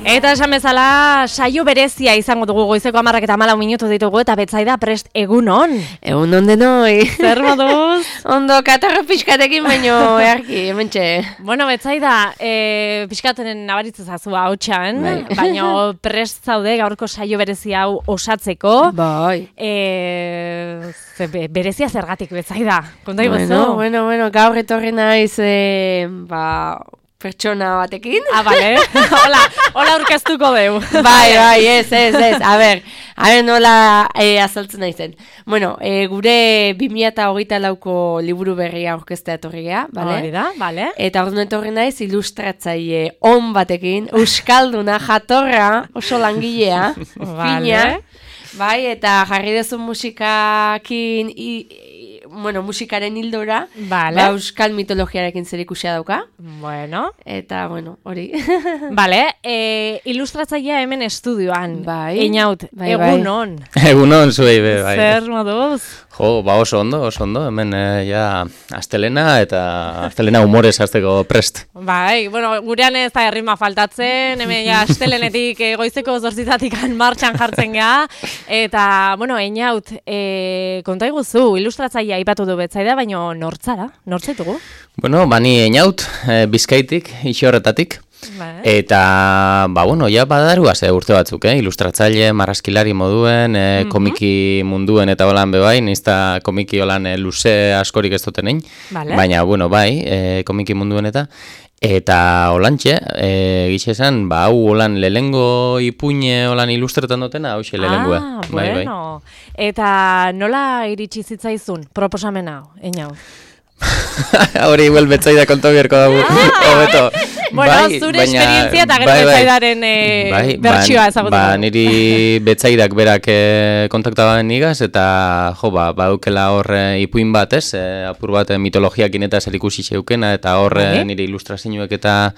Eta esan bezala, saio berezia izango dugu goizeko 10:14 ditugu eta Betsaida prest egunon. Egunon denoi. Zer moduz? Ondo katarra pixkatekin baino earki, hementxe. Bueno, Betsaida, pixkaten nabaritzen zazu hautsan, baina prest zaude gaurko saio berezia hau osatzeko. Bai. Berezia zergatik, Betsaida? Konta iguzu? Bueno, gaur etorri naiz, pertsona batekin. Bale. Hola urkeztuko deu. Bai, ez. A ber, nola azaltzen naizen. Bueno, gure 2024ko liburu berria aurkeztea etorri gea, bale? Hori da, bale. Eta orduan etorri naiz ilustratzaile on batekin, euskalduna, jatorra, oso langilea, fina. Bai, eta jarri dezun musikakin, musikaren hildora, euskal mitologiarekin zerikusia dauka. Bueno. Eta, hori. Bale, ilustratzailea hemen estudioan. Bai. Einaut, egunon. Egunon, zuei, bai. Zer moduz? Jo, oso ondo. Hemen, astelena humorez hasteko prest. Bai, gurean ez da errima faltatzen, hemen astelenetik goizeko 8:00 martxan jartzen gea. Eta, Einaut, konta iguzu, ilustratzailea aipatu du Betsaida, baina nortzara? Nortzaitugu? Bani Einaut, Bizkaitik, Ixorretatik. Eta, badarua urte batzuk, ilustratzaile, marrazkilari moduen, komiki munduen eta holan bebai, nizta komiki holan luze askorik ez dutenein. Baina, komiki munduen eta holantxe, gitxe esan, hau holan lehengo ipuine holan ilustretan dutena, hau xe lehengoa. Bueno. Eta nola iritsi zitzaizun proposamena, Einaut? Hori igual Betsaida konto bierko dago. Zure esperientzia eta gero Betsaidaren bertsioa ezagutu. Niri Betsaidak berak kontaktabaden nigaz, eta badukela hor ipuin bat, apur bat mitologiakin eta zerikusi zeukena, eta hor niri ilustrazioek eta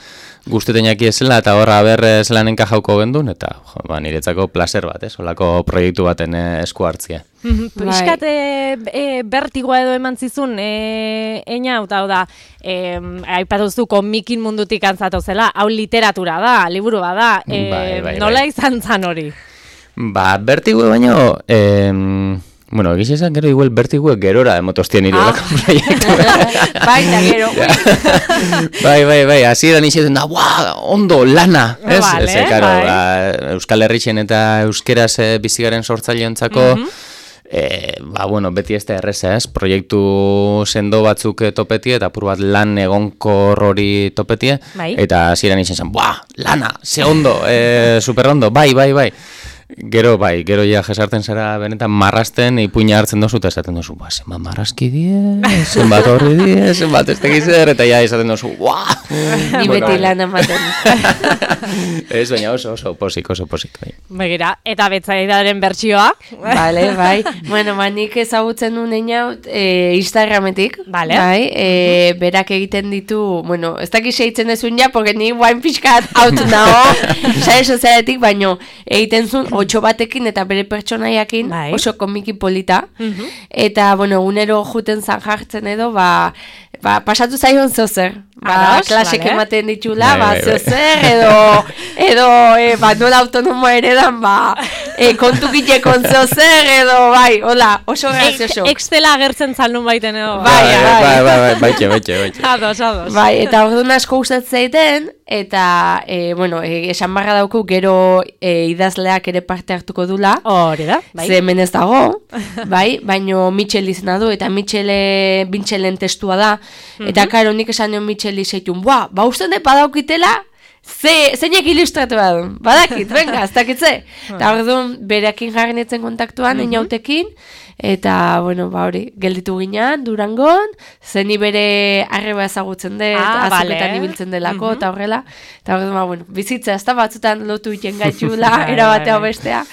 guztetenak ezela, eta hor haber zelan enkajauko gendun, eta niretzako placer bat, holako proiektu baten esku hartzia. Piskat bertigoa edo eman zizun, Einaut, hau da, aipatuzu komikin mundutik antzatu zela, hau literatura da, liburu da, nola izan zan hori? Bertigoa baino, egiz esan gero igual bertigoa gerora emotostien nire olako proiektu. Baita gero. Bai, hasieran izaten da, ondo, lana. Euskal Herrixen eta euskeraz bizigaren sortzaileontzako, beti ez da erreza, proiektu sendo batzuk topetie eta apur bat lan egonkor hori topetie, eta hasieran izan zen, lana, ze ondo, super ondo, bai. Gero ja jesarten zara benetan marrasten, ipuina hartzen dozu eta esaten dozu, zenbat marrazki die, zenbat horri die, zenbat ez tegizer, eta ja esaten dozu, Ni beti lan amaten. Ez, baina oso posik. Begira, eta Betsaidaren bertsioa? Bale, bai. Nik ezagutzen nuen Einaut Instagrametik, berak egiten ditu, ez dakiz eitzen dezun ja, porque ni guain pixkat haut nago, sare sozialetik, baina egiten zuen 8 batekin eta bere pertsonaiakin oso komiki polita. Eta, egunero juten zan jartzen edo, pasatu zaion zeozer. Klasek ematen ditula, zeozer, edo nola autonomoa eredan, kontu gitekon zeozer, edo, hola, oso grazioso. Excela agertzen zalun baiten edo. Baitxe. Ados. Eta orduan asko gustatzen zaiten, eta, esan barra dauku gero idazleak ere parte hartuko dula. Hori da, Ze hemen ez dago, baino Mitchell izena du, eta Mitchellen testua da, eta karo nik esan nion Mitchell izaitun, usten dut badaukitela, zeinek ilustratu badakit, venga, ez dakitze. Eta orduan bereakin jarri netzen kontaktuan, Einautekin, eta, hori, gelditu ginean, Durangon, zeni bere arreba ezagutzen dut, azuketan ibiltzen delako, eta horrela, eta orduan, bizitza, ez da batzutan lotu iten gaitxula, erabatea bestea,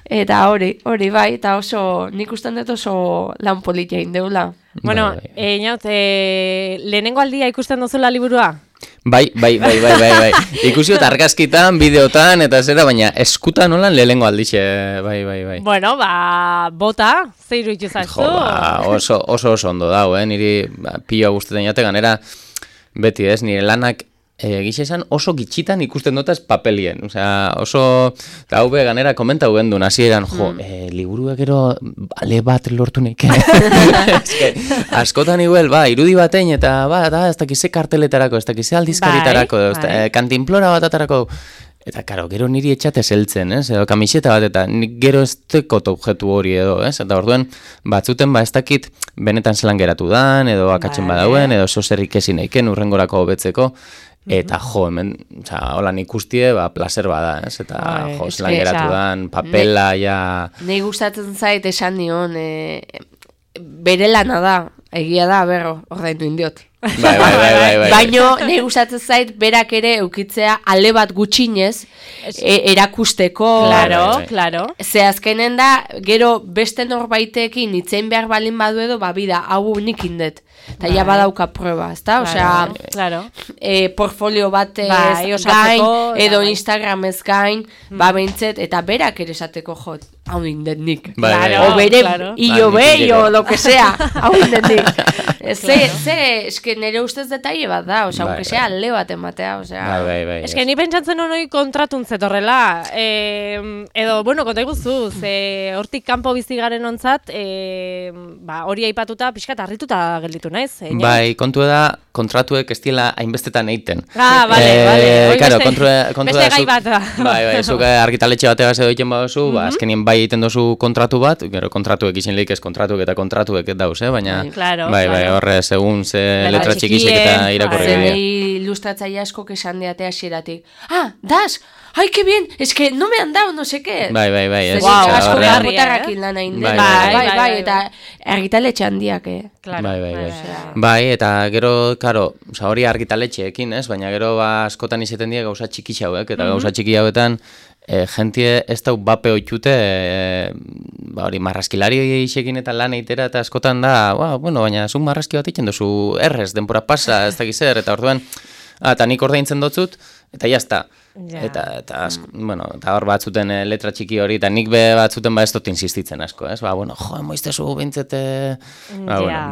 eta hori, eta oso, nik usten dut oso lan politia indeula. Einaut, lehenengo aldia ikusten duzula liburua? Bai. Ikusiot argazkitan, bideotan, eta zera, baina eskutan nolan lehengo aldixe, bai. Bota, zeiru ituzaztu. Oso ondo dago, niri pila guztetan jate ganera, beti nire lanak egixe esan oso gitxitan ikusten dutaz papelien. Osea, oso, eta hau ganera komenta huen duen, hasieran, liburuak gero ale bat lortu nik. Askotan igual, irudi batein, eta ez dakize karteletarako, ez dakize aldizkaritarako, kantinplora bat atarako. Eta, karo, gero niri etxate zeltzen, edo kamiseta bat, eta nik gero ez tekot objektu hori edo, eta orduen, batzuten, ez dakit, benetan zelan geratu dan, edo akatzen badauen, edo zozerrik ezin eiken, urrengorako hobetzeko, eta hemen, holan ikustie, placer bada, eta zelan geratu dan, papela, Nei gustatzen zait esan nion, bere lana da, egia da, berro, ordaindu indiot. Bai. Baino, nahi gustatzen zait, berak ere eukitzea ale bat gutxinez erakusteko. Claro. Ze azkenen da, gero beste norbaitekin itzein behar balin badu edo, bida, hau nik indet. Eta ja badauka prueba, ezta? Claro. Portfolio bat gain, edo Instagramez gain, behintzet, eta berak ere esateko jot, hau indet nik. O bere, o lo que sea, hau indet nik. Eske nire ustez detaile bat da, aunque sea alde bat ematea, Eske ni pentsatzen honoi kontratun zetorrela, edo, konta iguzu, hortik kanpo bizi garen ontzat, hori aipatuta, pixkat harrituta gelditu naiz. Bai, kontua da, kontratuek ez diela hainbestetan eiten. Bale. Beste gai bat da. Bai, zuk argitaletxe bategaz edo egiten baduzu, azkenien bai egiten dozu kontratu bat, gero kontratuek izin lehik ez kontratuek eta kontratuek dauz, baina, bai, horre, segun ze letra txikisek eta irakurri. Zenei ilustratzaile asko esan deatea xeratik. Das! ¡Ay, qué bien! Es que no me han dado, no sé qué. Bai. Asko garbotarrakin lan hain den. Bai, eta argitaletxe handiak, Bai, eta gero, karo, hori argitaletxeekin, baina gero askotan izeten dira gauza txiki hauek, eta gauza txiki hauetan, jentie ez dau bape oitute, hori marraskilari isekin eta lan eitera, eta askotan da, baina zun marraski bat itzen dozu errez, denpora pasa, ez dakiz eta orduan, eta nik ordaintzen dotzut, eta jazta. Eta hor batzuten letra txiki hori, eta nik batzuten ez dut insistitzen asko, moiztezu bintzete,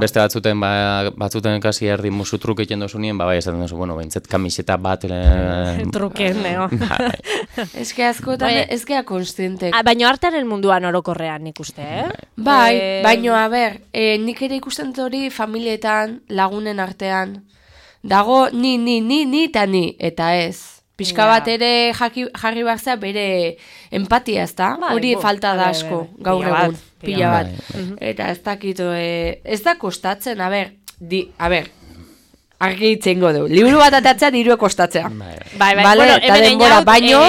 beste batzuten kasi erdi musu truk egiten dozu nien, esaten dozu, bintzet kamiseta bat truken, Ez que askotan ez gea konstientek. Baina artearen munduan orokorrean nik uste, Bai, baina, nik ere ikusten hori familietan, lagunen artean, dago ni eta ez. Pixka bat ere jarri barzea bere empatia, ez da? Hori falta da asko, gaur egun, pila bat. Eta ez dakito, ez da kostatzen, argi itzengo du. Liburu bat atatzea dirue kostatzea. Bai, eta denbora, baino...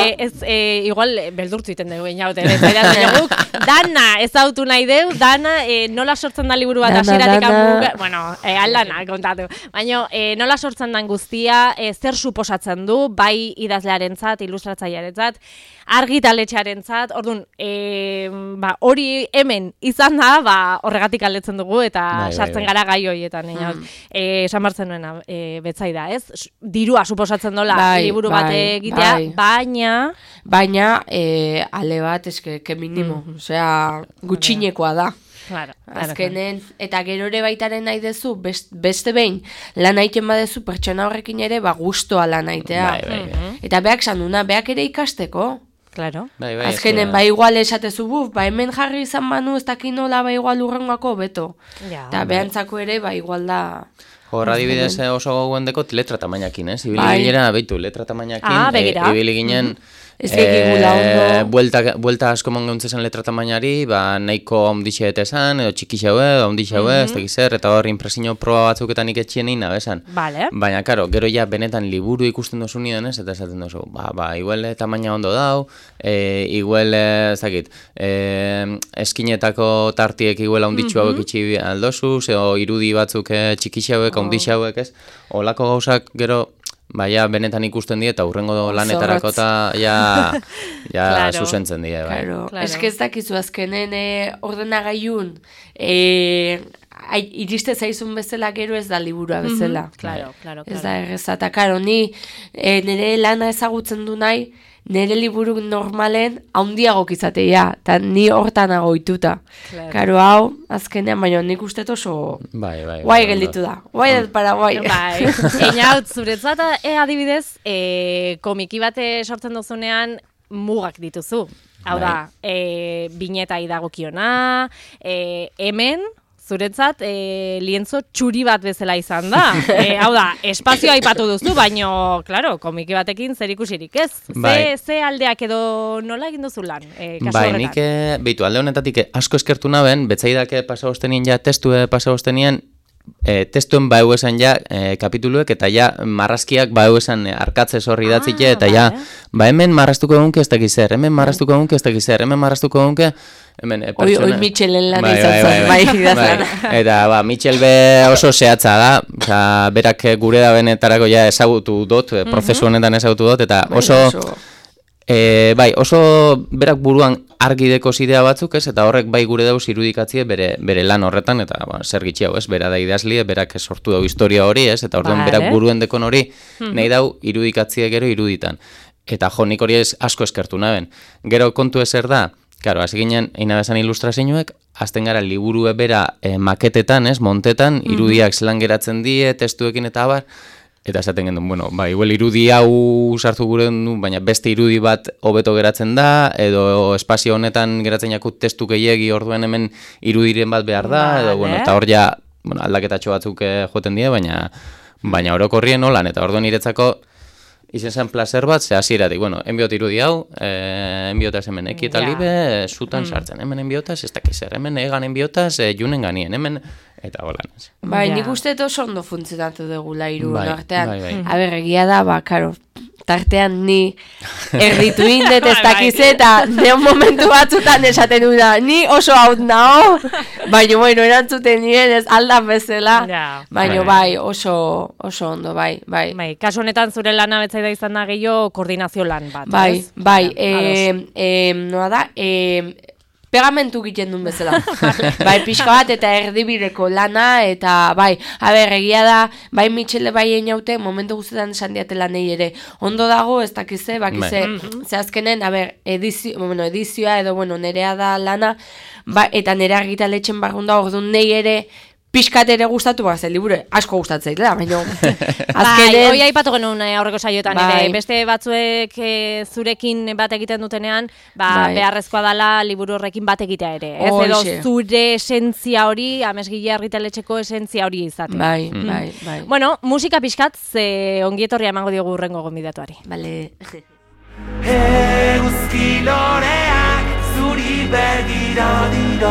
Igual, beldurtu iten dugu, inaut, dana ezautu nahi deu, dana nola sortzen da liburu bat asiratik aldana, kontatu. Baina nola sortzen dan guztia, zer suposatzen du, bai idazlearentzat, ilustratzailearentzat, argitaletxearentzat, orduan, hori hemen izan da, horregatik aldetzen dugu, eta sartzen gara gai horietan, esan bartzen nuena, betzai da, ez? Dirua suposatzen dola liburu bat egitea, baina ale bat, eske minimo, osea, gutxinekoa da. Azkenen, eta gero ere baitaren nahi dezu, beste behin, lan haiten badezu, pertsona horrekin ere, gustoa lan haitea. Eta beak sanuna, beak ere ikasteko. Claro. Azkenen, igual esatezu hemen jarri izan banu, ez dakin nola, igual urrengoako beto. Eta behantzako ere, igual da... Horra dibidez oso gauen dekot letra tamainakin, ibili ginen, behitu, letra tamainakin, ibili ginen... Buelta asko mongauntzen letra tamainari, nahiko ondixe esan, edo txiki xaue, ondixe xaue, ez dakizer, eta hor impresio proba batzuketan iketxien egin nabesan. Baina, karo, gero ja benetan liburu ikusten dozu nidan ez, eta esaten dozu, igual tamaina ondo dau, igual, ez dakit, eskinetako tartiek igual onditxu hauek itxi aldozu, edo irudi batzuk txiki xauek, ondixe hauek ez, olako gauzak gero, benetan ikusten die, eta hurrengo lanetarako eta zuzentzen die. Ez ez dakizu azkenen ordenagailun iriste zaizun bezala gero ez da liburua bezala. Claro. Ez da erreza, eta karo, ni nire lana ezagutzen du nahi, nire liburu normalen haundiagok izatea, eta ni hortan agoituta. Karo, hau, azkenean, baina nik uste oso guai gelditu da. Guai ez para guai. Bai, einaut, zuretzat adibidez, komiki bate sortzen duzunean mugak dituzu. Hau da, bineta idagokiona, hemen, zuretzat, lientzo txuri bat bezala izan da. Hau da, espazioa aipatu duzu, baino, klaro, komiki batekin zer ikusirik ez. Ze aldeak edo nola egin duzu lan? Bai, nik, behitu, alde honetatik asko eskertu naben, betzaidak pasagostenien ja, testue pasagostenien, testuen bau esan ja kapituluek eta ja marrazkiak bau esan arkatze zorri datzike eta ja hemen marraztuko egunke ez dakiz zer, hemen marraztuko egunke ez dakiz zer, hemen marraztuko egunke hemen pertsona... Oi Michelen lan izatzen, bai. Eta Michel be oso zehatza da, oza, berak gure da benetarako ja ezagutu dut, prozesu honetan ezagutu dut, eta oso... oso berak buruan argi deko zidea batzuk, ez? Eta horrek bai gure dauz irudikatzie bere lan horretan, eta zer gitxi hau, ez? Bera da idazlie, berak sortu dau historia hori, ez? Eta orduan berak buruen dekon hori nahi dau irudikatzie gero iruditan. Eta jo, nik hori asko eskertu naben. Gero kontu ezer da, karo, hasi ginen, eina bezan ilustrazioek, azten gara liburue bera maketetan, ez? Montetan, irudiak zelan geratzen die, testuekin eta abar, eta esaten gendun, bueno, igual irudi hau sartu gure du, baina beste irudi bat hobeto geratzen da, edo espazio honetan geratzen jakut testu gehiegi orduen hemen irudiren bat behar da, edo, bueno, eta hor ja, aldaketatxo batzuk joten die, baina orokorrien holan, eta orduan niretzako izen zen placer bat, ze hasieratik, bueno, enbiot irudi hau, enbiotaz hemen eki eta libe, zutan sartzen, hemen enbiotaz, ez dakiz zer, hemen egan enbiotaz, junen ganien, hemen, eta holan. Bai, nik uste oso ondo funtzionatu dugula hiru artean. Aber, egia da, karo, tartean ni erditu indet ez dakiz eta neon momentu batzutan esaten du da, ni oso haut nao, baina, bueno, erantzuten nien ez aldan bezala, baina bai, oso ondo, bai. Kasu honetan zure lana betzaida izan da gehiago koordinazio lan bat, ez? Bai, noa da, pegamentu egiten duen bezala. Bai, pixka bat eta erdibideko lana, eta bai, egia da, bai Michele bai einaute, momentu guztetan esan diate lanei ere. Ondo dago, ez dakize, bakize, ze azkenen, edizioa edo, nerea da lana, eta nere argitaletxen barrun da, orduan nei ere, pixkat ere gustatu bat, liburu asko gustatzeit, baina azkenen... Hoi aipatu genuen aurreko saioetan, beste batzuek zurekin bat egiten dutenean, beharrezkoa dela liburu horrekin bat egitea ere. Ez edo zure esentzia hori, amesgile argitaletxeko esentzia hori izatea. Bai. Bueno, musika pixkat, ze ongietorria emango diogu urrengo gonbidatuari. Bale. Euski loreak zuri begira dira,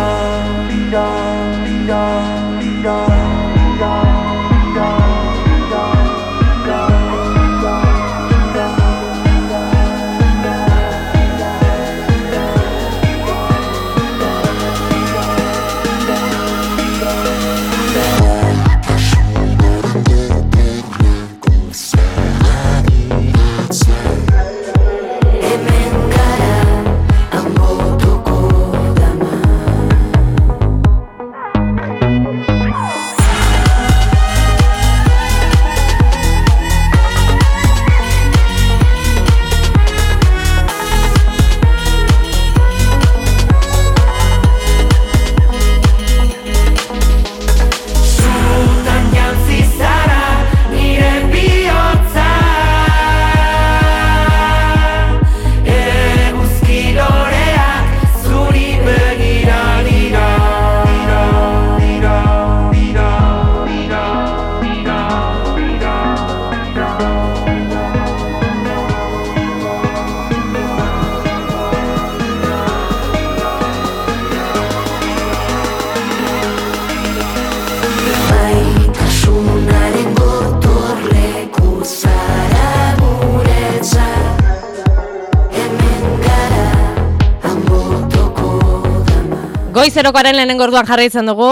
Goizerokoaren lehenengo orduan jarraitzen dugu,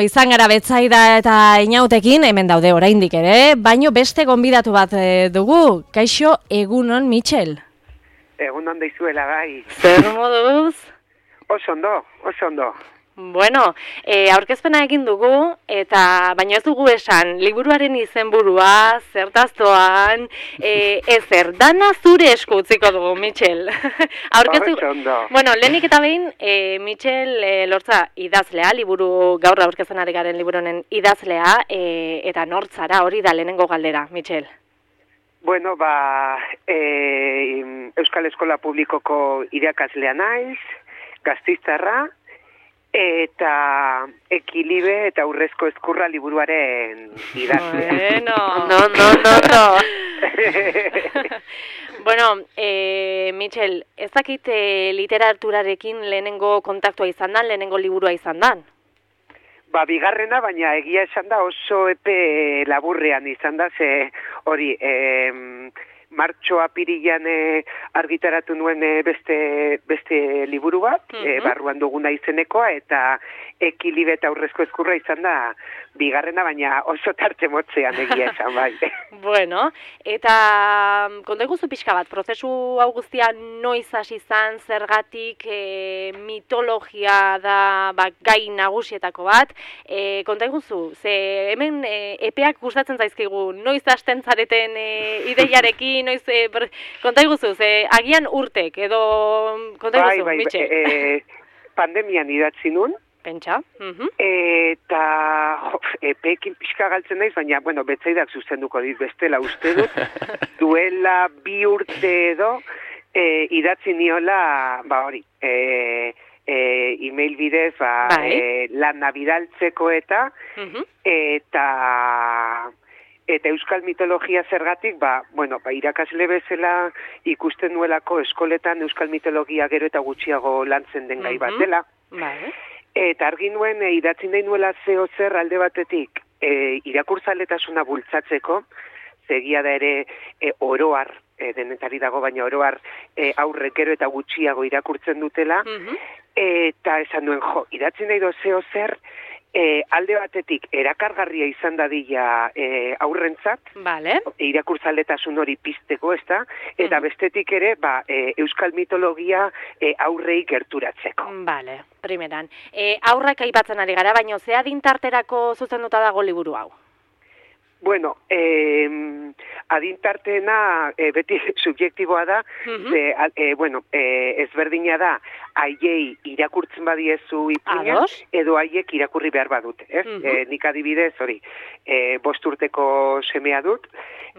izan gara Betsaida eta Inautekin, hemen daude oraindik ere, baino beste gonbidatu bat dugu. Kaixo, egunon, Michel? Egunon deizuela, bai. Zer moduz? Oso ondo. Bueno, aurkezpena egin dugu, eta baina ez dugu esan, liburuaren izenburua, zertaztoan, ezer, dana zure esku utziko dugu, Mitxel. Bueno, lehenik eta behin, Mitxel Lortza idazlea, liburu gaur aurkezten ari garen liburunen idazlea, eta nortzara hori da lehenengo galdera, Mitxel. Bueno, Euskal Eskola Publikoko irakaslea naiz, Gasteiztarra, eta Ekilibe eta Urrezko Ezkurra liburuaren idazlea. No. Bueno, Mitxel, ez dakit literaturarekin lehenengo kontaktua izan dan, lehenengo liburua izan dan? Bigarrena, baina egia esan da oso epe laburrean izan da, ze hori, martxo apirilan argitaratu nuen beste liburu bat, barruan duguna izenekoa, eta Ekilibe eta Urrezko Ezkurra izan da bigarrena, baina oso tarte motzean egia esan, bai. Bueno, eta konta iguzu pixka bat, prozesu hau guztia noiz hasi izan, zergatik mitologia da gai nagusietako bat, konta iguzu, ze hemen epeak gustatzen zaizkigu, noiz hasten zareten ideiarekin, noiz, konta iguzu, ze agian urtek, edo konta iguzu, Mitxel? Pandemian idatzi nun, pentsa. Eta epeekin pixka galtzen naiz, baina, bueno, betzaidak zuzenduko dit bestela uste dut, duela 2 urte edo idatzi niola, hori, email bidez, lana bidaltzeko eta euskal mitologia zergatik, irakasle bezala ikusten nuelako eskoletan euskal mitologia gero eta gutxiago lantzen den gai bat dela. Eta argi nuen idatzi nahi nuela zeo zer alde batetik irakurzaletasuna bultzatzeko, zegia da ere oroar, denetari dago, baina oroar aurrek gero eta gutxiago irakurtzen dutela, eta esan nuen, idatzi nahi do zeo zer, alde batetik erakargarria izan dadila aurrentzat, irakurtzaletasun hori pizteko, ezta? Eta bestetik ere, euskal mitologia aurrei gerturatzeko. Bale, primeran. Aurrak aipatzen ari gara, baina ze adintarterako zuzenduta dago liburu hau? Bueno, adintarteena beti subjektiboa da, ezberdina da, haiei irakurtzen badiezu ipuina, edo haiek irakurri behar badute. Nik adibidez, hori, 5 urteko semea dut,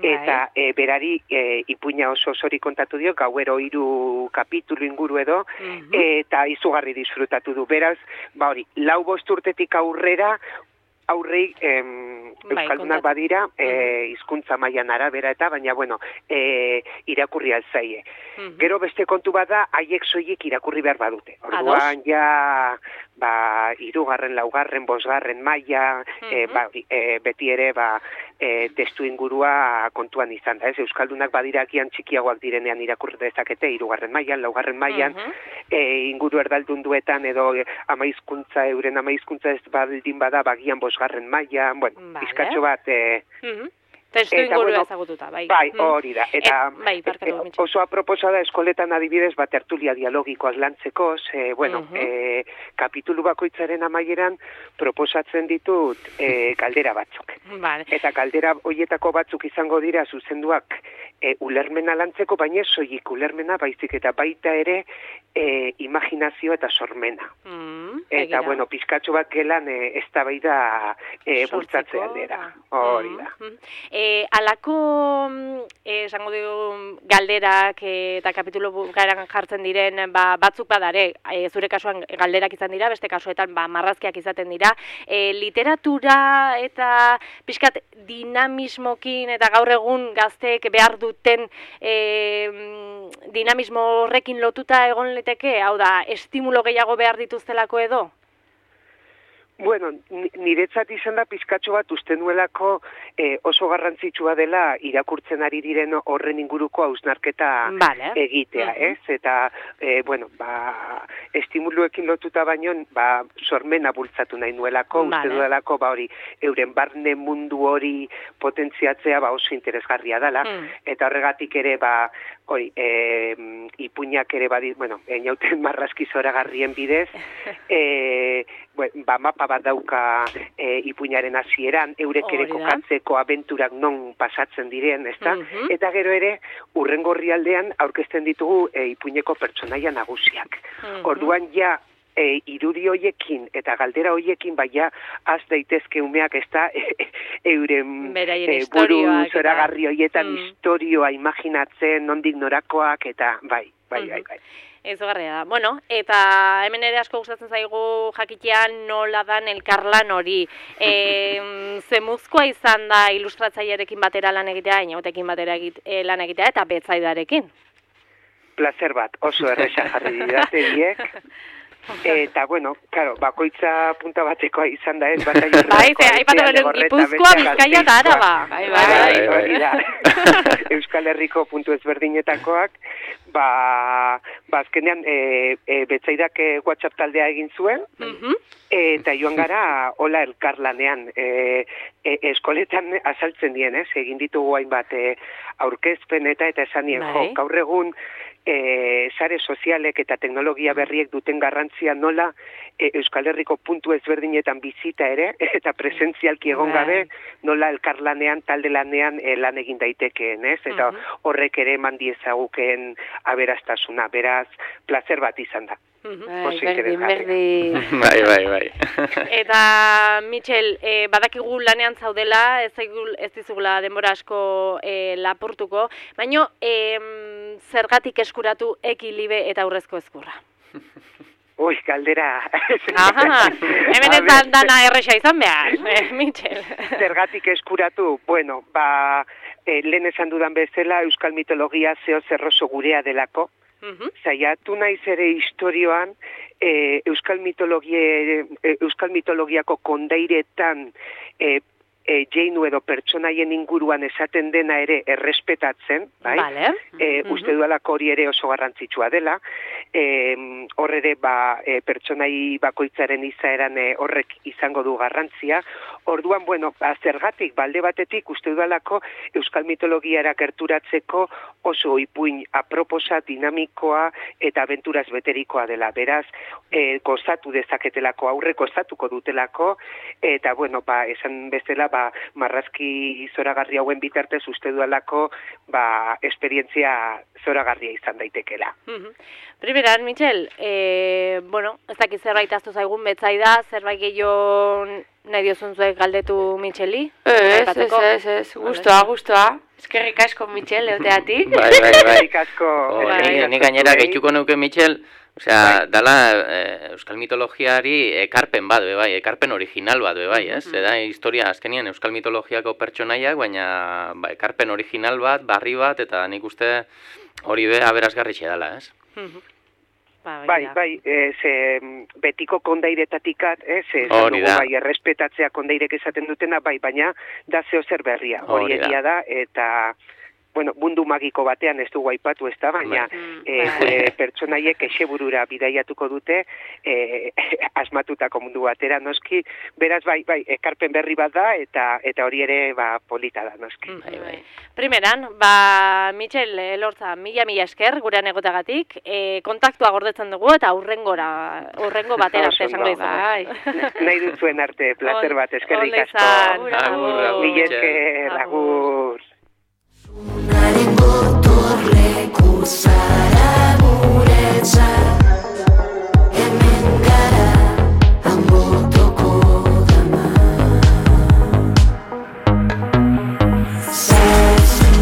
eta berari ipuina oso osori kontatu dio, gauero 3 kapitulu inguru edo, eta izugarri disfrutatu du. Beraz, hori, 4-5 urtetik aurrera, aurrei euskaldunak badira, hizkuntza mailan arabera eta, baina, irakurri altzaie. Gero beste kontu bada, haiek soilik irakurri behar badute. Orduan, ja, 3., 4., 5. maila, beti ere, testu ingurua kontuan izan da, ez? Euskaldunak badira agian txikiagoak direnean irakurri dezakete, 3. mailan, 4. mailan, inguru erdaldunduetan edo euren amaizkuntza ez baldin bada, bagian 5. mailan, pizkatxo bat... Testu ingurua ezagututa, bai. Bai, hori da. Eta oso aproposa da eskoletan adibidez tertulia dialogikoak lantzeko, kapitulu bakoitzaren amaieran proposatzen ditut galdera batzuk. Eta galdera horietako batzuk izango dira zuzenduak ulermena lantzeko, baina soilik ulermena baizik eta baita ere imaginazio eta sormena. Eta, pizkatxo bat gelan eztabaida bultzatze aldera. Hori da. Alako, esango dugu, galderak eta kapitulu garan jartzen diren, batzuk badare, zure kasuan galderak izan dira, beste kasuetan marrazkiak izaten dira. Literatura eta pixkat dinamismokin eta gaur egun gazteek behar duten dinamismo horrekin lotuta egon liteke, hau da, estimulo gehiago behar dituztelako edo? Bueno, niretzat izan da pizkatxo bat uste nuelako oso garrantzitsua dela irakurtzen ari diren horren inguruko hausnarketa egitea, ez? Eta, estimuluekin lotuta baino, sormena bultzatu nahi nuelako, uste duelako, euren barne mundu hori potentziatzea oso interesgarria dela, eta horregatik ere, ipuinak ere inauten marrazki zoragarrien bidez, mapa bat dauka ipuinaren hasieran, eurek ere kokatzeko abenturak non pasatzen diren, ezta? Eta gero ere, hurrengo orrialdean aurkezten ditugu ipuineko pertsonaia nagusiak. Orduan ja, irudi hoiekin eta galdera hoiekin baina az daitezke umeak ez da euren buru zoragarri hoietan historioa imaginatzen, nondik norakoak eta bai. Izugarria da. Bueno, eta hemen ere asko gustatzen zaigu jakitean nola dan elkarlan hori. Zemuzkoa izan da ilustratzailearekin batera lan egitea, Inagotekin batera lan egitea eta Betzaidarekin. Placer bat, oso erresa jarri didate biek. Eta, bueno, claro, bakoitza punta batekoa izan da ez, bat aipatu beren Gipuzkoa, Bizkaia eta Araba. Euskal Herriko puntu ezberdinetakoak, azkenean Betzaidak WhatsApp taldea egin zuen, eta joan gara hola elkarlanean. Eskoletan azaltzen dien, egin ditugu hainbat aurkezpen eta esan nien, gaur egun sare sozialek eta teknologia berriek duten garrantzia nola Euskal Herriko puntu ezberdinetan bizita ere, eta presentzialki egon gabe, nola elkarlanean, talde lanean lan egin daitekeen, ez? Eta horrek ere eman diezaguken aberastasuna, beraz, placer bat izan da. Berdin. Bai. Eta, Mitxel, badakigu lanean zaudela, ez dizugula denbora asko lapurtuko, baina zergatik eskuratu ekilibe eta aurrezko ezkurra? Ui, galdera. Hemen ez dana erresa izan behar, Mitxel. Zergatik eskuratu, bueno, lehen esan dudan bezala, euskal mitologia zeo zerroso gurea delako. Zaiatu naiz ere historioan, euskal mitologiako kondairetan jeinu edo pertsonaien inguruan esaten dena ere errespetatzen, bai? Uste dualako hori ere oso garrantzitsua dela, hor ere pertsonai bakoitzaren izaeran horrek izango du garrantzia. Orduan, bueno, zergatik, balde batetik uste dualako euskal mitologiara gerturatzeko oso ipuin aproposa, dinamikoa eta abenturaz beterikoa dela. Beraz, gozatu dezaketelako, aurre gozatuko dutelako, eta, bueno, esan bezala, marrazki zoragarri hauen bitartez uste dualako esperientzia zoragarria izan daitekela. Primeran, Mitxel, bueno, ez dakit zerbait aztu zaigun Betzaida, zerbait gehiago nahi diozunzuek galdetu Mitxeli? Ez, gustoa. Eskerrik asko, Mitxel, euteatik. Bai. Eskerrik asko. Nik gainera gehituko neuke, Mitxel, osea, dala euskal mitologiari ekarpen bat, bai, ekarpen original bat, bai, ez? Da historia azkenien euskal mitologiako pertsonaiak, baina ekarpen original bat, barri bat, eta nik uste hori aberasgarritxe dela, ez? Bai, betiko kondairetatik errespetatzea kondairek esaten dutena, baina da zeo zer berria, hori egia da, eta bueno, mundu magiko batean ez dugu aipatu ez da, baina pertsonaiek eseburura bidaiatuko dute asmatutako mundu batera, noski, beraz bai, ekarpen berri bat da, eta hori ere polita da, noski. Primeran, Mitxel Elorza, mila esker gurean egotagatik, kontaktua gordetzen dugu eta hurrengo batera arte esango izan. Nahi duzuen arte, placer bat, eskerrik asko. Mila esker, agur. Unaren gotorleku zara guretzat, hemen gara Anbotoko dama.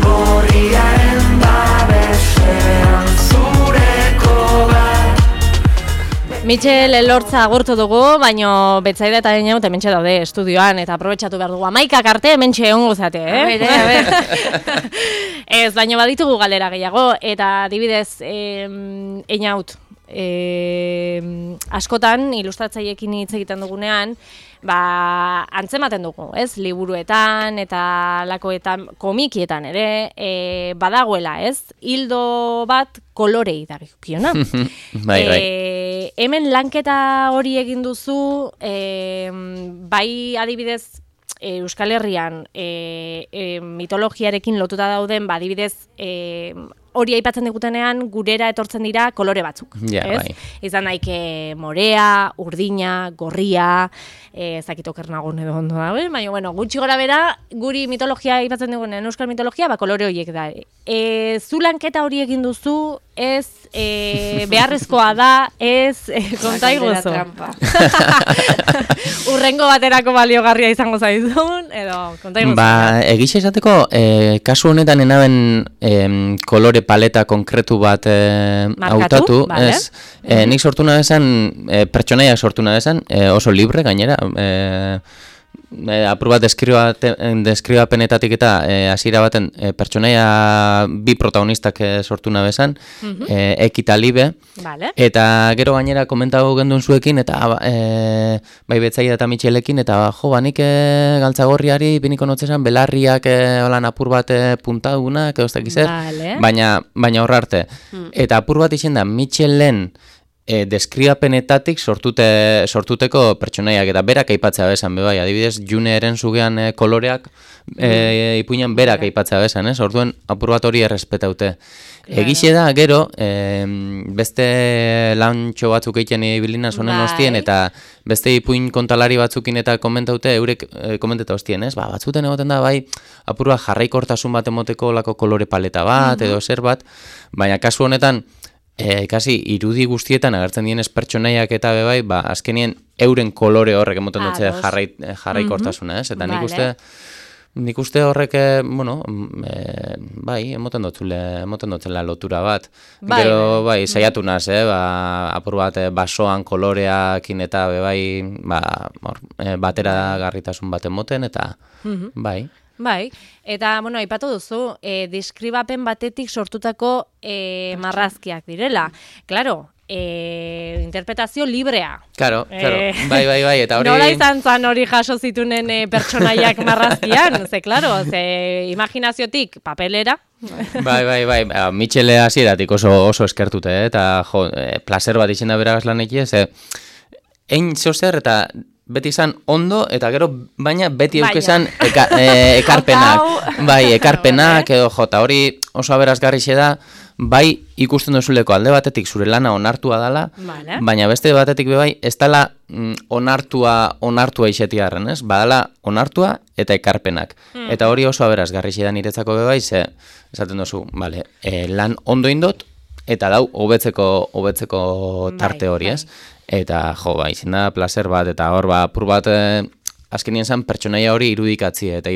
Gorriaren babesean zureko bat. Mitxel Elortza agurtu dugu, baino Betzaida eta Inaut hementxe daude estudioan, eta aprobetxatu behar dugu. 11 arte hementxe egongo zate, A ber. Ez, baino baditugu galera gehiago, eta adibidez Inaut, askotan ilustratzaiekin hitz egiten dugunean, antzematen dugu, ez? Liburuetan eta lakoetan, komikietan ere, badagoela, ez? Hildo bat kolorei dagikiona. Bai. Hemen lanketa hori egin duzu, bai adibidez, Euskal Herrian mitologiarekin lotuta dauden, adibidez, hori aipatzen digutenean gurera etortzen dira kolore batzuk, Ja, ez? bai. Izan daike morea, urdina, gorria, ezakit okernagun edo ondo da, baina bueno, gutxi gora bera, guri mitologia aipatzen digunean, euskal mitologia, kolore horiek da. Zu lanketa hori egin duzu, ez beharrezkoa da, ez konta iguzu. Urrengo baterako baliogarria izango zaizun, edo konta iguzu. Ba, egixe esateko, kasu honetan enaben kolore paleta konkretu bat hautatu, vale. ez? Nik sortu nahi esan, pertsonaiak sortu nahi esan, oso libre gainera, apur bat deskribapenetatik eta hasiera baten pertsonaia bi protagonistak sortu nahi esan, Eki eta Libe, Vale. eta gero gainera komentago gendun zuekin, eta bai Betzaida eta Mitxelekin, eta jo, banik galtzagorriari biniko notzesan, belarriak holan apur bat puntadunak, edo ez dakiz zer, Vale. baina horra arte. Eta apur bat izen da, Mitxelen deskribapenetatik sortuteko pertsonaiak, eta berak aipatzea bezan, bai, adibidez, June Erenzugean koloreak ipuinan berak aipatzea bezan, ez? Orduen apur bat hori errespetaute. Egixe da, gero, beste lantxo batzuk egiten ibilina zonen ostien, eta beste ipuin kontalari batzukin eta komentaute, eurek komenteta ostien, ez? Ba, batzuten egoten da, bai, apur bat jarraikortasun bat emoteko lako kolore paleta bat, edo zer bat, baina kasu honetan, kasi irudi guztietan agertzen dienez pertsonaiak eta bebai, ba, azkenien euren kolore horrek emoten dutze jarraikortasuna, ez? Eta nik uste horrek, bueno, bai, emoten dutzela lotura bat. Gero, bai, saiatu naz, ba, apur bat basoan koloreakin eta bebai, ba, batera garritasun bat emoten, eta bai. Bai, eta, bueno, aipatu duzu, deskribapen batetik sortutako marrazkiak direla. Claro, interpretazio librea. Claro, bai, eta hori... Nola izan zan hori jaso zitunen pertsonaiak marrazkian, claro, imaginaziotik papelera. Bai, Mitxele hasieratik oso eskertute, eta jo, placer bat izin da beragaz lan ekiez, ein zeozer eta beti izan ondo, eta gero, baina beti eukezan ekarpenak. Bai, ekarpenak, edo jota, hori oso aberazgarri da, bai ikusten duzuleko alde batetik zure lana onartua dala, baina beste batetik bai, ez dala onartua isetiarren, ez? Badala onartua eta ekarpenak. Eta hori oso aberazgarri da niretzako bai, ze, esaten duzu, vale, lan ondo indot, eta dau, hobetzeko tarte hori, ez? Eta, jo, ba, izin da, placer bat, eta hor, ba, pur bat, azkenien zen, pertsonaia hori irudikatzi, eta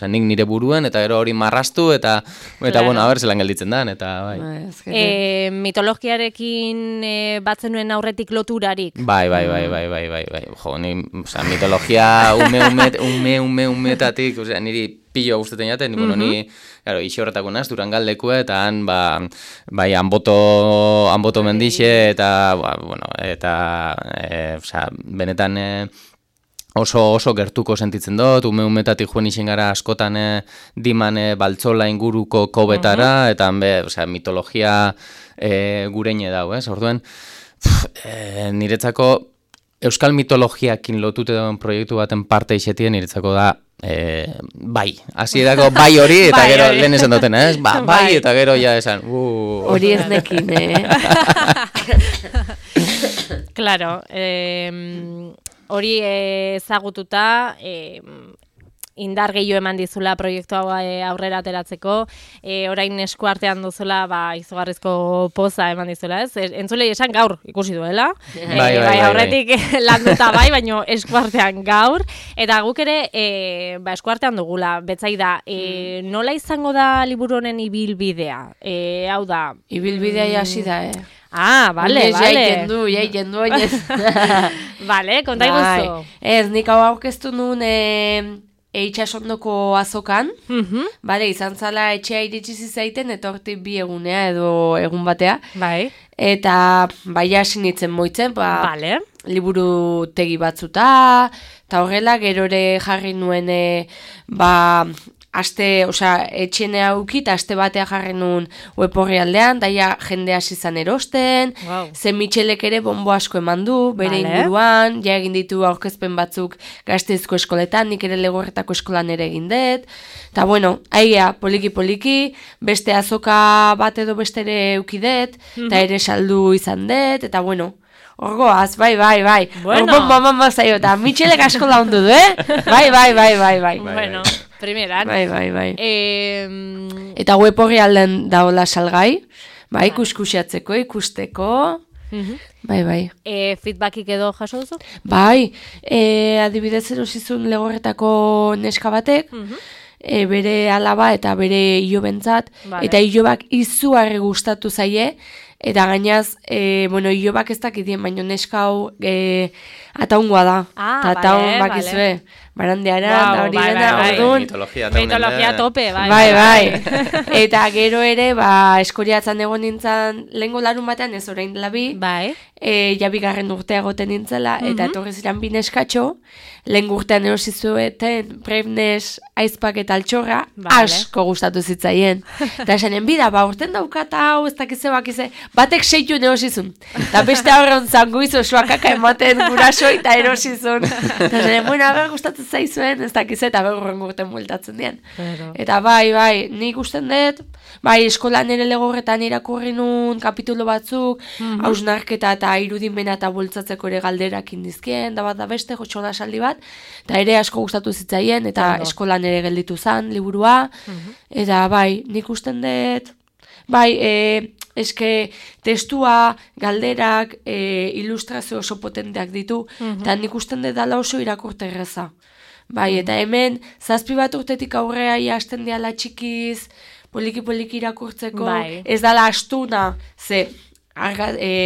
nik nire buruen, eta gero hori marrastu, eta bueno, haber zelan gelditzen dan, eta, bai. Mitologiarekin batzen nuen aurretik loturarik. Bai, jo, mitologia umetatik, niri pillo guztetan jaten, bueno, ni, claro, ixi horretako naz, Durangaldekue, eta han, bai, Anboto mendixe, eta, bueno, eta, benetan oso gertuko sentitzen dut, umetatik joan isen gara askotan diman baltzola inguruko kobetara, eta, mitologia gureine dau, ez? Orduen, niretzako, euskal mitologiakin lotute duen proiektu baten parte isetien, niretzako da, bai, hasierako bai hori, eta gero lehen esan duten, ez? Bai, eta gero ja esan, hori ez nekin, Claro, hori ezagututa, indar gehiago eman dizula proiektu hau aurrera ateratzeko, orain esku artean duzula, izugarrizko poza eman dizula, ez? Entzulei esan gaur ikusi duela, bai, aurretik landuta bai, baino esku artean gaur, eta guk ere esku artean dugula, Betzaida, nola izango da liburu honen ibilbidea? Hau da... Ibilbidea hasi da, vale. Jaiten du, oinez. Vale, konta iguzu. Ez, nik hau aurkeztu nuen itxasondoko azokan, bale, izan zala etxea iritsi zizaiten, eta hortik bi egunea edo egun batea. Bai. Eta bai hasi nintzen moitzen, vale. Liburu tegi batzuta, eta horrela gerore jarri nuen, etxene hauki, eta aste batea jarren nun web orrialdean, daia jende hasi zan erosten, ze Michelek ere bonbo asko eman du, bere inguruan, ja egin ditu aurkezpen batzuk Gasteizko eskoletan, nik ere Legorretako eskolan ere egin dut, eta bueno, aia, poliki-poliki, beste azoka bat edo beste ere eukidet, eta ere saldu izan dut, eta bueno, orgoaz, bai. Bueno. Orgon zaio, eta Michelek asko laundu du, Bai. Bueno, primeran. Bai. Eta web horri alden daola salgai, bai, kuskusiatzeko, ikusteko, bai. Feedbackik edo jaso duzu? Bai, adibidez erosizun Legorretako neska batek, bere alaba eta bere ilobentzat, eta ilobak izugarri gustatu zaie, eta gainaz, ilobak ez dakitien, baino neska hau ataungoa da. Eta ataun bakizue, barandeara, da hori dena, orduan. Mitologia tope, bai. Bai. Eta gero ere, eskoriatzen egon nintzen, lehengo larun batean ez orain labi, ja bigarren urtea goten nintzela, eta etorri ziren bi neskatxo, lehen urtean erosizueten Preibnes, aizpak eta altxorra, asko gustatu zitzaien. Eta esanen, bida, urten daukat hau, ez dakize bakize, batek 6 erosizun. Eta beste horren zanguiz osoa kaka ematen guraso eta erosizun. Eta esanen, aber gustatzen zaizuen, ez dakize, eta berren urten bueltatzen dien. Eta bai, nik usten dut, eskolan ere Legorretan irakurri nun kapitulo batzuk, hausnarketa eta irudimena eta bultzatzeko ere galderak indizkien, da bat da beste, jotxola saldi bat, eta ere asko gustatu zitzaien, eta eskolan ere gelditu zan, liburua, eta nik usten dut, eske testua, galderak, ilustrazio oso potenteak ditu, eta nik usten dut dala oso irakurte erreza. Eta hemen, 7 bat urtetik aurrea hasten diala txikiz, poliki-poliki irakurtzeko, ez dala astuna, ze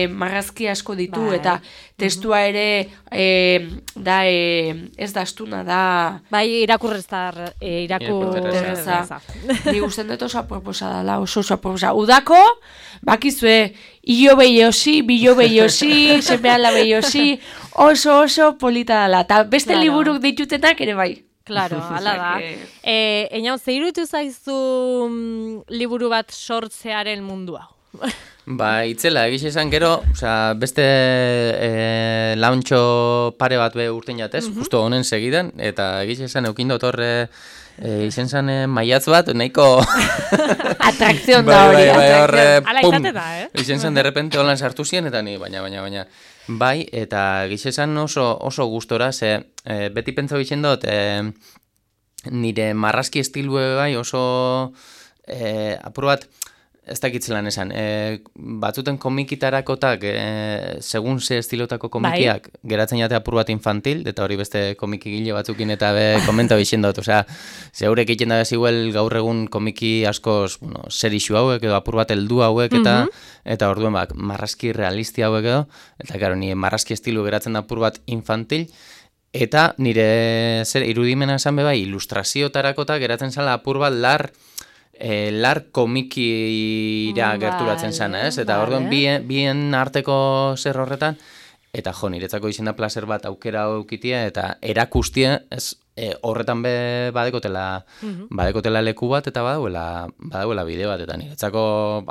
marrazki asko ditu, eta testua ere ez da astuna, da... Irakurreza. Ni gusten dut oso aproposa dala, oso aproposa. Udako, bakizue, ilo behiosi, bilo behiosi, semeala behiosi, oso polita dala. Ta beste liburuk ditutenak ere bai. Claro, ala da. Einau, ze iruditu zaizu liburu bat sortzearen mundua? Itzela, egiz esan gero, beste launtxo pare bat urten jatez, justo honen segidan, eta egiz esan eukindot horre izen zan maiatz bat, nahiko... Atrakzion da hori. Ala izate da, Izen zan derrepente holan sartu ziren, eta ni, baina. Bai, eta egiz esan oso gustora, ze beti pentsau izen dut, nire marrazki estilue bai oso apur bat, ez dakitzelan esan, batzuten komikitarakotak, segun ze estilotako komikiak, geratzen jate apur bat infantil, eta hori beste komikigile batzukin eta komenta bixen dut, zeurek egiten da beziguel gaur egun komiki askoz, serixu hauek, edo apur bat heldu hauek, eta orduen marrazki realisti hauek edo, eta karo, nire marrazki estilu geratzen da apur bat infantil, eta nire irudimena esan bai, ilustraziotarakota geratzen zala apur bat lar komikira gerturatzen zana, ez? Eta orduan bien arteko zer horretan, eta niretzako izan da placer bat aukera aukitia, eta erakustia, ez? Horretan badekotela leku bat, eta badauela bide bat, eta niretzako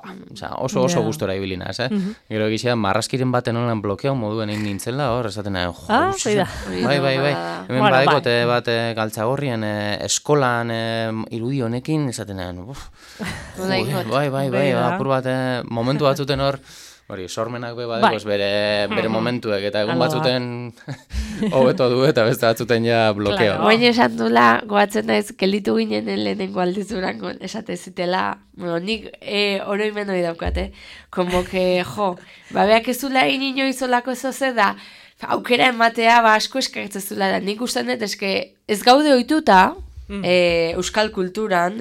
oso gustora ibilina, ez? Gero egizia, marrazkiren baten holan blokeau moduen egin nintzela, hor, esaten bai. Hemen badekote bat galtzagorrien eskolan irudi honekin, esaten bai, apur bat momentu batzuten hor, hori, sormenak badekoz bere momentuek, eta egun batzuten hobeto du eta beste batzuten ja blokeo. Baina esan dula, goatzen naiz, gelditu ginen lehenengo aldizurango, esate zitela, nik oroimen hori daukate, como que, beak ez zula ino izolako zoze da, aukera ematea asko eskartzen zula da, nik ustean dut, ez gaude ohituta, euskal kulturan,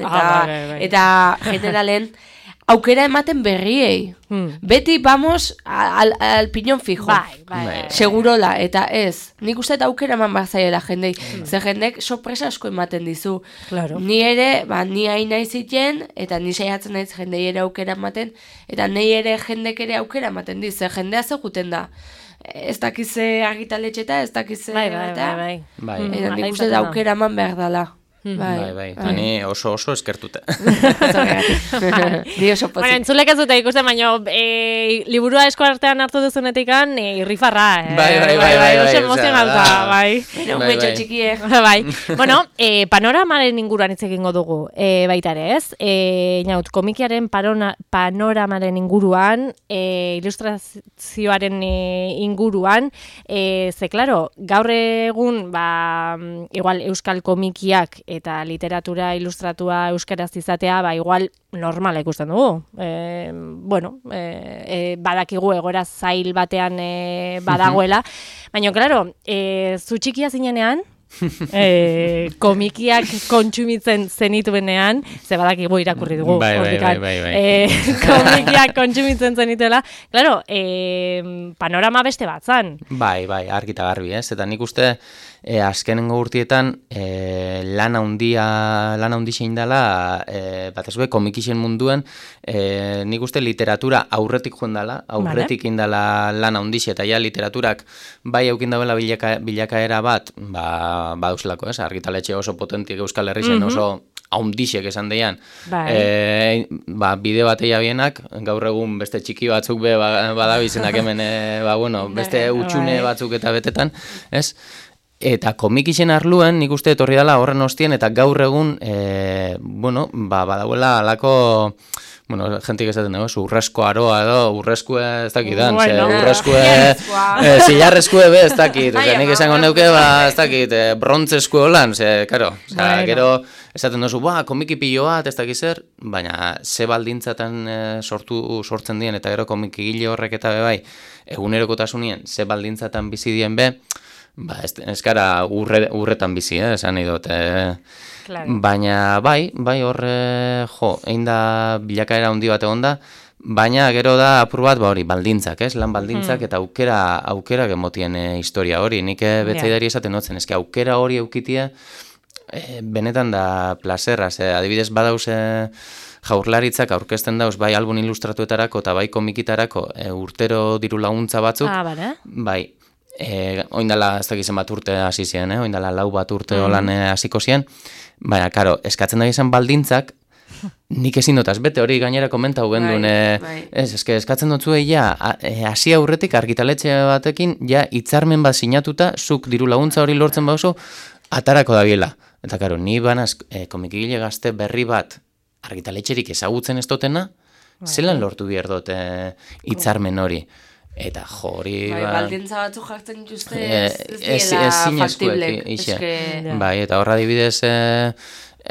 eta generalen, aukera ematen berriei. Beti vamos al piñón fijo. Segurola, eta ez. Nik uste aukera eman barzaiela jendei. Ze jendek sorpresa asko ematen dizu. Ni ere, ni hain nahi ziten, eta ni saiatzen naiz jendei ere aukera ematen, eta nahi ere jendek ere aukera ematen diz. Ze jendea zeguten da. Ez dakize argitaletxeta, ez dakize... Bai. Eta nik uste aukera eman behar dela. Bai. Eta ni oso eskertute. Ni oso pozik. Bueno, entzulek ez dute ikusten, baina liburua esko artean hartu duzunetikan irrifarra. Bai. Oso emozionalta, bai. Umetxo txikie. Bai. Bueno, panoramaren inguruan hitz egingo dugu, baita ere, ez? Inaut, komikiaren panoramaren inguruan, ilustrazioaren inguruan, ze, klaro, gaur egun, igual euskal komikiak eta literatura ilustratua euskaraz izatea, igual normala ikusten dugu. Badakigu egoera zail batean badagoela, baina, klaro, zu txikia zinenean, komikiak kontsumitzen zenituenean, ze badakigu irakurri dugu. Bai. Komikiak kontsumitzen zenituela, claro, panorama beste bat zan. Bai, argita garbi, ez? Eta nik uste azkenengo urtietan lan handi zein dela, batez be, komikixen munduan, nik uste literatura aurretik joan dela, aurretik indala lan handi eta ja literaturak bai eukin dauela bilakaera bat, badauzelako, ez? Argitaletxe oso potentik Euskal Herrixen oso haundixek esan deian. Bide bateia bienak, gaur egun beste txiki batzuk badabizenak hemen, beste utxune batzuk eta betetan, ez? Eta komikixen arluen, nik uste etorri dela horren ostien, eta gaur egun, badagoela alako, jentik esaten dugu, urrezko aroa edo, urrezkue ez dakidan, urrezkue, zilarrezkue be ez dakit, nik esango neuke, ez dakit, brontzezkue holan, karo, gero esaten duzu, komiki pilo bat, ez dakit zer, baina ze baldintzatan sortzen dien, eta gero komiki gile horrek eta bai, egunerokotasunien, ze baldintzatan bizi dien be, ez gara urretan bizi, esan nahi dut. Baina bai horre, egin da bilakaera handi bat egon da, baina gero da apur bat, baldintzak, lan baldintzak eta aukera gemotien historia hori. Nik betzaidari esaten notzen, aukera hori eukitia, benetan da plazerra, adibidez badauz jaurlaritzak aurkezten dauz, bai album ilustratuetarako eta bai komikitarako urtero diru laguntza batzuk, bai, oindala ez dakizen bat urte hasi ziren, oindala 4 bat urte holan hasiko ziren, baina, karo, eskatzen da izan baldintzak, nik ezin dutaz, bete hori gainera komentau gendun, eskatzen dutzu hasi aurretik argitaletxe batekin, hitzarmen bat sinatuta, zuk diru laguntza hori lortzen bauzu, atarako dabiela. Eta, karo, ni banaz komikigile gazte berri bat argitaletxerik ezagutzen ez dutena, zelan lortu behar dut hitzarmen hori. Eta hori... baldintza batzuk jartzen dituzte ez diela faktiblek. Bai, eta horra adibidez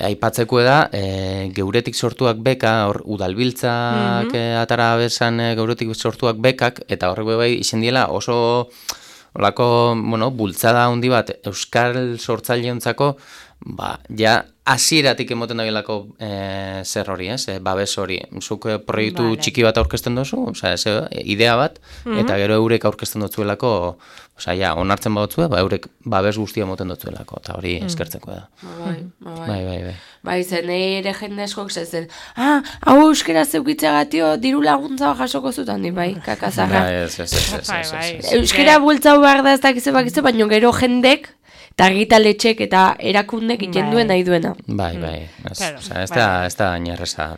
aipatzeko da, geuretik sortuak beka, udalbiltzak atara bezan geuretik sortuak bekak, eta horrek bai izen diela oso bultzada handi bat euskal sortzaileontzako, hasieratik emoten dabilako zer hori, babes hori. Zuk proiektu txiki bat aurkezten duzu, idea bat, eta gero eurek aurkezten dutzuelako, onartzen badutzue, eurek babes guztia emoten dutzuelako, eta hori eskertzeko da. Bai. Bai, zen ere jende eskok zen, hau euskera zeukitzeagatio diru laguntza jasoko zutan di, bai, kakazarra. Euskera bultzau behar da ez dakize, baina gero jendek, eta argitaletxek eta erakundek iten duen nahi duena. Bai. Ez da inerreza.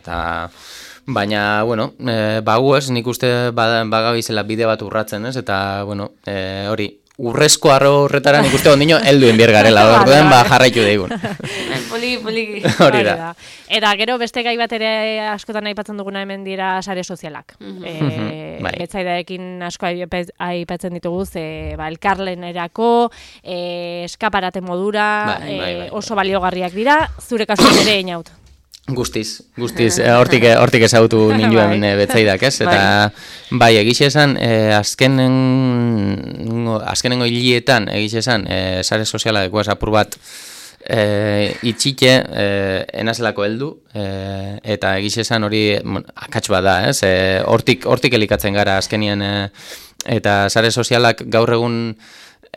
Baina, baguez, nik uste bagabizela bide bat urratzen, ez? Eta, hori, urrezko arro horretara nik uste ondino helduen biergarela, orduen jarraitu daigun. Poliki. Hori da. Eta gero beste gai bat ere askotan aipatzen duguna hemen dira sare sozialak. Betzaidaekin asko aipatzen ditugu, elkarlenerako, eskaparate modura, oso baliogarriak dira, zure kasuan ere Einaut. Guztiz, hortik ezagutu ninduen betzaidak, ez? Eta, bai, egixe esan, azkenengo hilietan, egixe esan, sare soziala dekuaz apur bat itxike enazelako heldu, eta egixe esan hori akats bat da, ez? Hortik elikatzen gara azkenien, eta sare sozialak gaur egun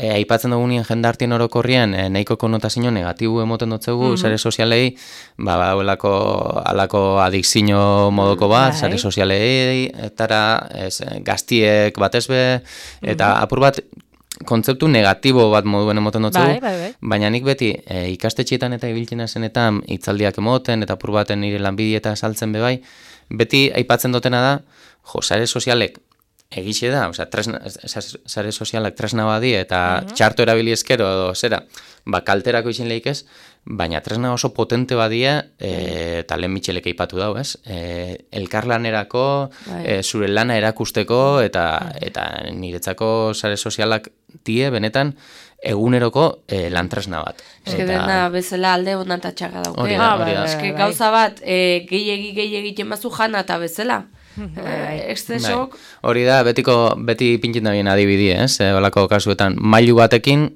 aipatzen dugunien jendartien orokorrien nahiko konotazio negatibo emoten dutzegu sare sozialei, alako adikzio modoko bat, sare sozialei, etara gaztiek batezbe, eta apur bat kontzeptu negatibo bat moduen emoten dutzu, Bai. baina nik beti ikastetxeetan eta ibiltzen zenetan hitzaldiak emoten eta apur baten nire lanbidieta saltzen bebai, beti aipatzen dutena da, sare sozialek egixe da, sare sozialak tresna badi eta txarto erabili ezkero edo zera, kalterako izin lehik ez, baina tresna oso potente badia, eta lehen Michelek aipatu dau, ez? Elkarlanerako, zure lana erakusteko, eta niretzako sare sozialak die, benetan, eguneroko lan tresna bat. Eske dena bezala alde honan eta txarra dauke. Hori da. Eske gauza bat, gehiegi jemazu jana eta bezala. Exzesok. Hori da, beti pintzen da bien adibidi, ez? Olako kasuetan, mailu batekin,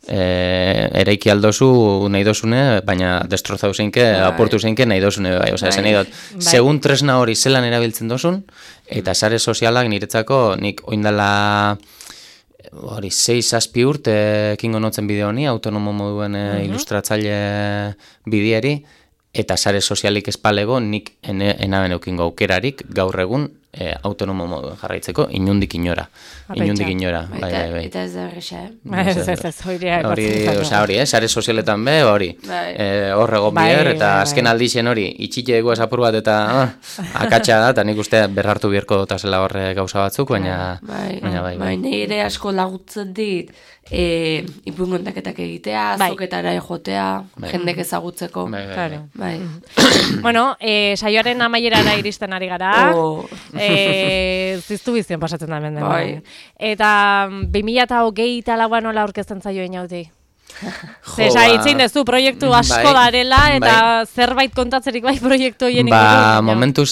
eraiki aldozu nahi dozune, baina destrozau zeinke, aportu zeinke nahi dozune, bai. Osa, esan nahi dut, segun tresna hori zelan erabiltzen dozun, eta sare sozialak niretzako, nik oindala 6-7 urte ekingo notzen bideo honi, autonomo moduen ilustratzaile bidieri, eta sare sozialik espalego nik enaben eukingo aukerarik gaur egun autonomo moduen jarraitzeko inundik inora. Bai. Eta ez da erresa, Hori, sare sozialetan be, hori. Horrego bier, eta azken aldixen hori, itxite egu esapur bat eta akatsa da, eta nik uste berrartu bierko dutazela horre gauza batzuk, baina bai. Nire asko lagutzen dit, ipuin kontaketak egitea, azoketara jotea, jendek ezagutzeko. Bai. Bueno, saioaren amaierara iristen ari gara. Ziztu bizion pasatzen da hemen den. Eta 2024 nola aurkezten zaio inauti? Zesa, itzin dezu proiektu asko darela, eta zerbait kontatzerik bai proiektu hien ingurun. Momentuz,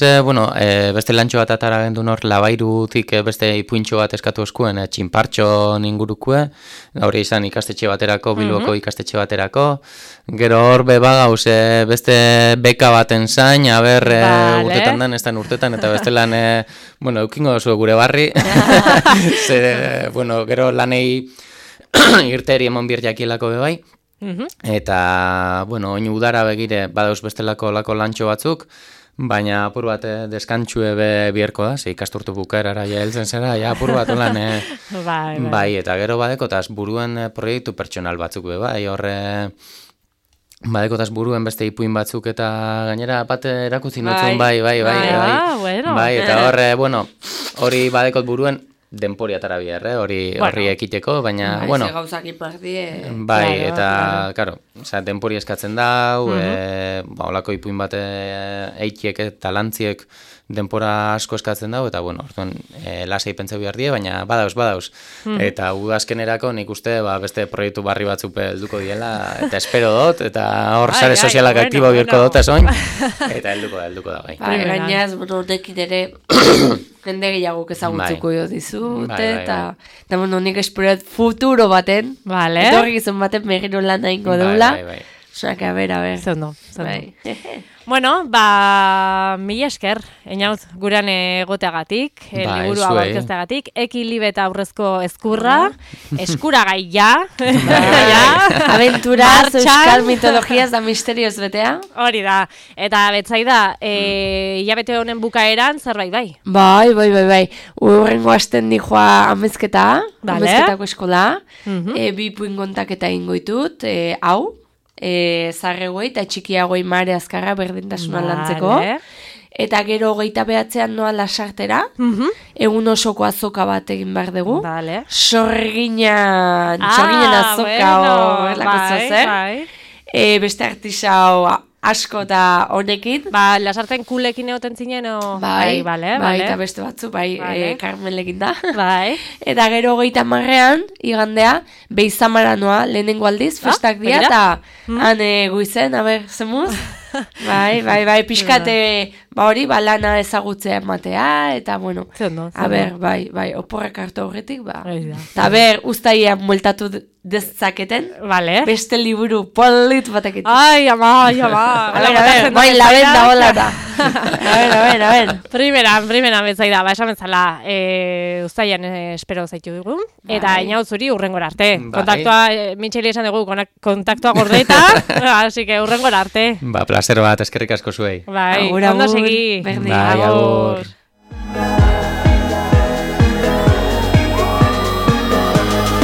beste lantxo bat atara gendun hor, labairutik beste ipuintxo bat eskatu eskuen, txinpartxo ingurukue, hori izan ikastetxe baterako, Bilboko ikastetxe baterako, gero hor bebagauz, beste beka baten zain, urtetan den, ez den urtetan, eta beste lan, eukingo zu gure barri, gero lanei, irteri emon bir jakielako bebai, eta, oin udara begire, badauz bestelako lako lantxo batzuk, baina apur bat deskantxue bierko da, ze ikasturtu bukaerara heltzen zera, apur bat olan, bai, eta gero badekotaz buruen proiektu pertsonal batzuk bebai, horre, badekotaz buruen beste ipuin batzuk eta gainera bat erakutzi notzun, bai, eta horre, hori badekot buruen, denporiatara bier, hori ekiteko, baina, Ze gauzak ipardie. Bai, eta, karo, denpori eskatzen dau, olako ipuin bat eitiek eta lantziek denpora asko eskatzen dau, eta, orduan, lasai pentsau behar die, baina badauz. Eta udazkenerako nik uste, beste proiektu barri batzuk helduko diela, eta espero dut, eta hor sare sozialak aktibo bihurko dut esoin, eta helduko da, bai. Gainaz, horrekin ere, jende gehiagok ezagutzuko jo dizute, eta nik esperat futuro baten, etorri gizon baten megiro lan nahingo deula. Osak, a ber. Zondo. Bueno, mila esker, Einaut, gurean egoteagatik, liburu hau aurkezteagatik, Ekilibe eta aurrezko eskurra, eskuragai ja. Aventuraz, euskal mitologiaz da misterioz betea. Hori da, eta betzai da, hilabete honen bukaeran zerbait bai? Bai. Urrengo asten dijoa amezketako eskola, bi puin kontaketa ingoitut, hau, zarregoi eta txikiagoi mare azkarra berdintasuna lantzeko. Eta gero 29an noa lasartera, egun osoko azoka bat egin behar dugu. Sorginen azoka beste artisau asko eta honekin. Lasarten kulekin egoten zinen, Bai, eta beste batzu, Carmelekin da. Eta gero 30ean, igandea, Beizamara noa, lehenengo aldiz, festak dia, eta han guizen, zemuz? Bai, pixkate, hori, lana ezagutzea ematea, eta, oporrak hartu horretik, eta ustaian mueltatu dezaketen, beste liburu polit batekin. Ai, ama. Bai, labenda hola da. A ver. Primeran betzai da, esan bezala, ustaian espero zaitu dugu, eta Einaut zuri urrengora arte. Kontaktua, Mitxeli esan dugu, kontaktua gordeita, así que urrengora arte. Placer bat, eskerrik asko zuei. Ondo segi. Bai, agur.